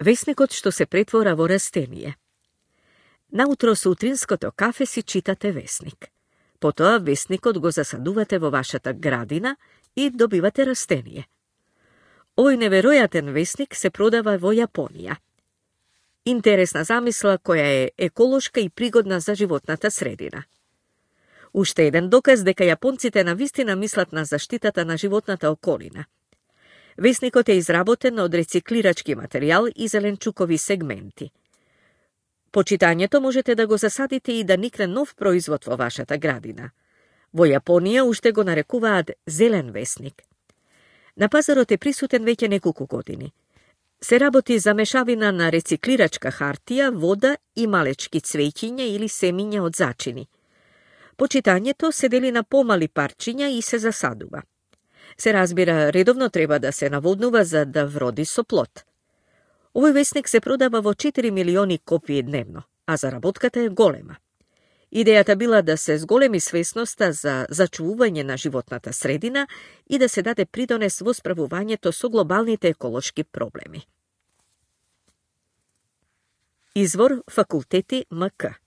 Весникот што се претвора во растение. Наутро со утринското кафе си читате весник. Потоа весникот го засадувате во вашата градина и добивате растение. Овој неверојатен весник се продава во Јапонија. Интересна замисла која е еколошка и пригодна за животната средина. Уште еден доказ дека јапонците навистина мислат на заштитата на животната околина. Весникот е изработен од рециклирачки материјал и зеленчукови сегменти. По читањето можете да го засадите и да никне нов производ во вашата градина. Во Јапонија уште го нарекуваат зелен весник. На пазарот е присутен веќе неколку години. Се работи за мешавина на рециклирачка хартија, вода и малечки цвеќиња или семиња од зачини. Почитањето се дели на помали парчиња и се засадува. Се разбира, редовно треба да се наводнува за да вроди со плод. Овој весник се продава во 4 милиони копии дневно, а заработката е голема. Идејата била да се зголеми свесноста за зачувување на животната средина и да се даде придонес во справувањето со глобалните еколошки проблеми. Извор Факултети МК.